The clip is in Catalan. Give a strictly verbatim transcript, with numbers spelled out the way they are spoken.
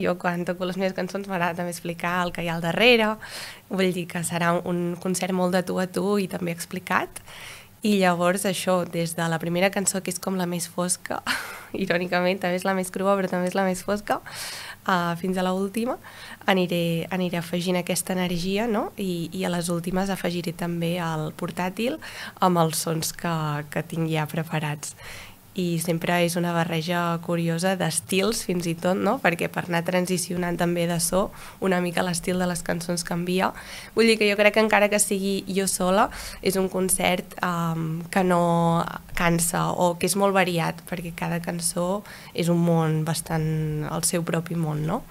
Jo quan toco les meves cançons m'agrada també explicar el que hi ha al darrere, vull dir que serà un concert molt de tu a tu i també explicat. I llavors això, des de la primera cançó, que és com la més fosca, irònicament també és la més crua però també és la més fosca, uh, fins a l'última, aniré, aniré afegint aquesta energia, no? I, i a les últimes afegiré també el portàtil amb els sons que, que tinc ja preparats. I sempre és una barreja curiosa d'estils fins i tot, no? Perquè per anar transicionant també de so una mica l'estil de les cançons canvia. Vull dir que jo crec que encara que sigui jo sola és un concert um, que no cansa o que és molt variat perquè cada cançó és un món bastant el seu propi món, no?